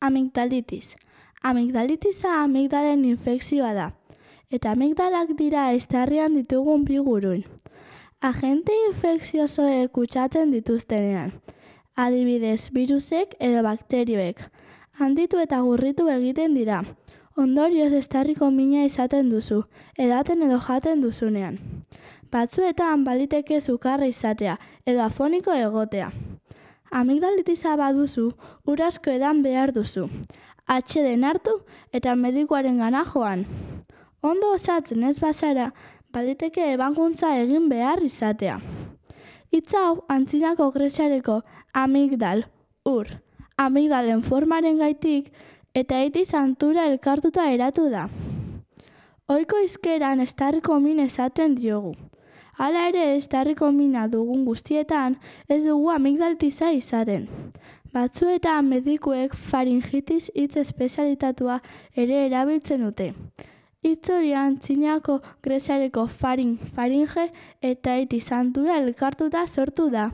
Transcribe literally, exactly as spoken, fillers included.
Amigdalitis. Amigdalitisa amigdalen infekzioa da, eta amigdalak dira eztarrian ditugun bi guruin. Agente infekziosoek kutsatzen dituztenean, adibidez birusek edo bakterioek, handitu eta gurritu egiten dira. Ondorioz eztarriko mina izaten duzu, edaten edo jaten duzunean. Batzuetan baliteke sukarra izatea edo afoniko egotea. Amigdalitisa baduzu, ur asko edan behar duzu. Atxeden hartu eta medikuaren gana joan. Ondo osatzen ez bazara, baliteke ebakuntza egin behar izatea. Hitz hau antzinako greziareko amigdal, ur, amigdalen formaren gaitik eta itiz antura elkartuta eratu da. Ohiko hizkeran eztarriko min esaten diogu. Hala ere, eztarriko mina dugun guztietan ez dugu amigdalitiza izaten. Batzuetan medikuek faringitis hitz espezialitatua ere erabiltzen dute. Hitz hori antzinako greziareko farin, faringe eta itiz antura elkartuta sortu da.